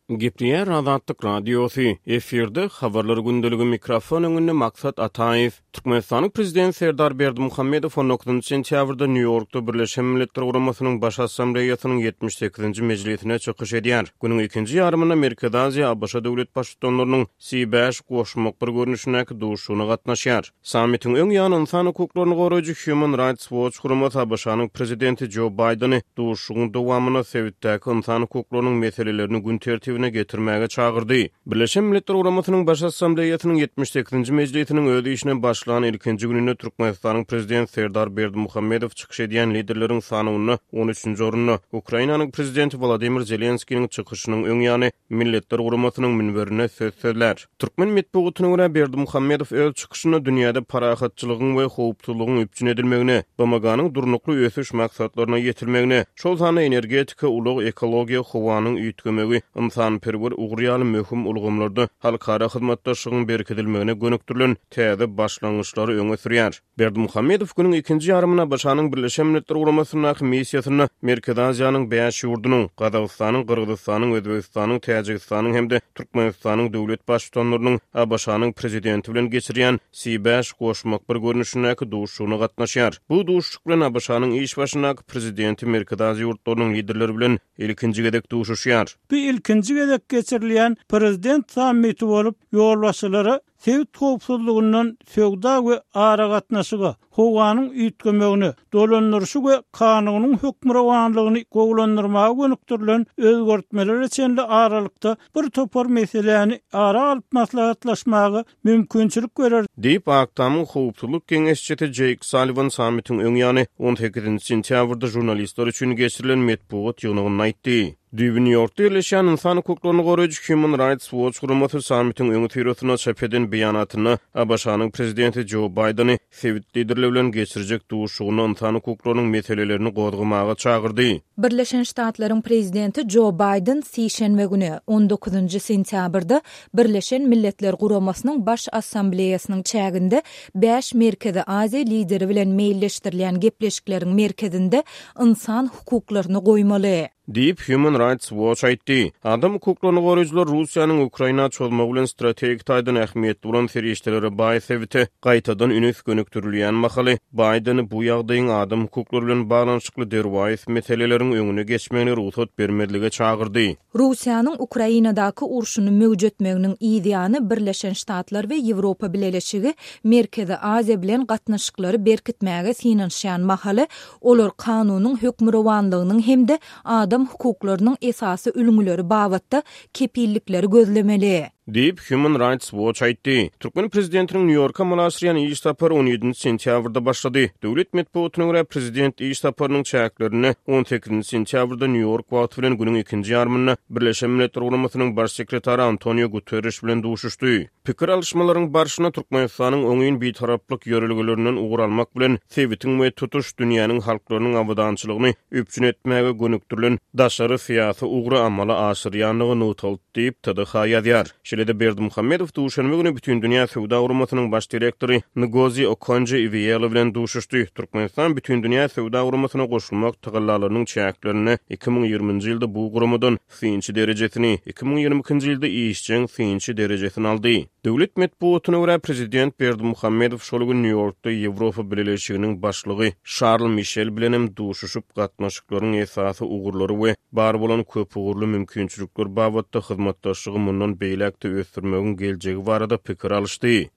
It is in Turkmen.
Gepleýär Azatlyk Radiosy, efirde Habarlar gündeligi mikrofon öňünde Maksat Ataýew. Türkmenistanyň Prezidenti Serdar Berdimuhamedow on dokuzynjy sentýabrda Nýu-Ýorkda Birleşen Milletler Guramasynyň Baş Assambleýasynyň 78-nji mejlisinde çykyş edýär. Günüň ikinji ýarymynda Merkezi Aziýa ABŞ döwlet Baştutanlarynyň C bäş goşmak bir görnüşindäki duşuşygyna gatnaşýar. Sammitiň öň ýany ynsan hukuklaryny goraýjy Human Rights Watch guramasy ABŞ-nyň prezidenti Jo Baýdeni duşuşygyň dowamynda sebitdäki ynsan hukuklarynyň meselelerini gün tertibine getirmäge çagyrdy. Birleşen Milletler Guramasynyň Baş Assambleýasynyň 78-nji mejlisiniň öz işine başlan ilkinji gününde Türkmenistanyň Prezidenti Serdar Berdimuhamedow çykyş edýän liderleriň sanawynda on üçünji orunda. Ukrainanyň Prezidenti Wolodymyr Zelenskiniň çykyşynyň öň ýany Milletler Guramasynyň münberinde söz sözlär. Türkmen metbugatyna görä, Berdimuhamedow öz çykyşynda dünýäde parahatçylygyň we howpsuzlygyň üpjün edilmegine, BMG-niň Durnukly ösüş maksatlaryna ýetilmegine, şol sanda energetika, ulag, ekologiýa, howanyň üýtgemegi, ynsanperwer ugur ýaly möhüm ulgamlarda halkara hyzmatdaşlygyň berkidilmegine gönükdirilen täze başlangyçlary öňe sürýär. Berdimuhamedow günüň ikinji ýarymynda ABŞ-nyň Birleşen Milletler Guramasyndaky missiýasynda Merkezi Aziýanyň bäş ýurdunyň, Gazagystanyň, Gyrgyzystanyň, Özbegistanyň, Täjigistanyň hem-de Türkmenistanyň döwlet Baştutanlarynyň ABŞ-nyň Prezidenti bilen geçirýän C bäş goşmak bir görnüşindäki duşuşygyna gatnaşýar. Bu duşuşyk bilen ABŞ-nyň iş başyndaky Prezidenti Merkezi Aziýa ýurtlarynyň liderleri bilen ilkinji gezek duşuşýar. Bu ilkinji gezek geçirilýän Prezident sammiti bolup, ýolbaşçylara Sebit howpsuzlygyndan söwda we aragatnaşyga, howanyň üýtgemegine, dolandyryşy we kanunyň hökmürowanlygyny gowulandyrmaga gönükdirilen özgertmelere çenli aralykda bir topar meseläni ara alyp maslahatlaşmaga mümkinçilik berer. Diýip, Ak Tamyň howpsuzlyk geňeşçisi Jeýk Salliwan sammitiň öň ýany, on sekizinji sentýabrda žurnalistler üçin geçirilen metbugat ýygnagynda aýtdy. Düýbi Nýu-Ýorkda ýerleşýän ynsan hukuklaryny goraýjy Human Rights Watch guramasy sammitiň öňüsyrasynda çap eden beýanatynda ABŞ-nyň prezidenti Jo Baýdeni sebit liderleri bilen geçirjek duşuşygynda ynsan hukuklarynyň meselelerini gozgamaga çagyrdy. Birleşen Ştatlaryň prezidenti Jo Baýden sişenbe güni, on dokuzynjy sentýabrda Birleşen Milletler Guramasynyň Baş Assambleýasynyň çäginde bäş Merkezi Aziýa lideri bilen meýilleşdirilýän gepleşikleriň merkezinde ynsan hukuklaryny goýmaly. Diýip, Human Rights Watch aýtdy. Adam hukuklaryny goraýjylar Russiýanyň Ukraina çozmagy bilen strategik taýdan ähmiýetli bolan serişdelere baý sebite gaýtadan üns gönükdirilýän mahaly, Baýdeni bu ýagdaýyň adam hukuklary bilen baglanyşykly derwaýys meseleleriň öňüne geçmegine rugsat bermezlige çagyrdy. Russiýanyň Ukrainadaky urşuny möwjetmeginiň yz ýany Birleşen Ştatlar we Ýewropa Bileleşigi Merkezi Aziýa bilen gatnaşyklary berkitmäge synanyşýan mahaly, olar kanunyň hökmürowanlygynyň hem-de adam hukuklarynyň esasy ülňüleri babatda kepillikleri gözlemeli. Diýip, Human Rights Watch aýtdy. Türkmen prezidentiniň Nýu-Ýorka amala aşyrýan iş sapary on ýedinji sentýabrda başlady. Döwlet metbugatyna görä, prezident iş saparynyň çäklerinde on sekizinji sentýabrda Nýu-Ýork wagty bilen günüň ikinji ýarymynda Birleşen Milletler Guramasynyň Baş sekretary Antonio Guterreş bilen duşuşdy. Pikir alyşmalaryň barşynda Türkmenistanyň oňyn bitaraplyk ýörelgelerinden ugur almak bilen, sebitiň we tutuş dünýäniň halklarynyň abadançylygyny üpjün etmäge gönükdirilen daşary syýasy ugry amala aşyrýandygy nygtaldy diýip, TDH ýazýar. Şeýle-de Berdimuhamedow duşenbe güni Bütindünýä Söwda Guramasynyň baş direktory Ngozi Okonjo-Iweala bilen duşuşdy. Türkmenistan Bütindünýä Söwda Guramasyna goşulmak tagallalarynyň çäklerinde 2020-nji ýylda bu guramadan synçy derejesini, 2022-nji ýylda işjeň synçy derejesini aldy. Döwlet metbugatyna görä, prezident Berdimuhamedow şol gün Nýu-Ýorkda Ýewropa Bileleşiginiň başlygy Şarl Mişel bilenem duşuşyp, gatnaşyklaryň esasy ugurlary we bar bolan köpugurly mümkinçilikler babatda hyzmatdaşlygy mundan beýläk-de ösdürmegiň geljegi barada pikir alyşdy.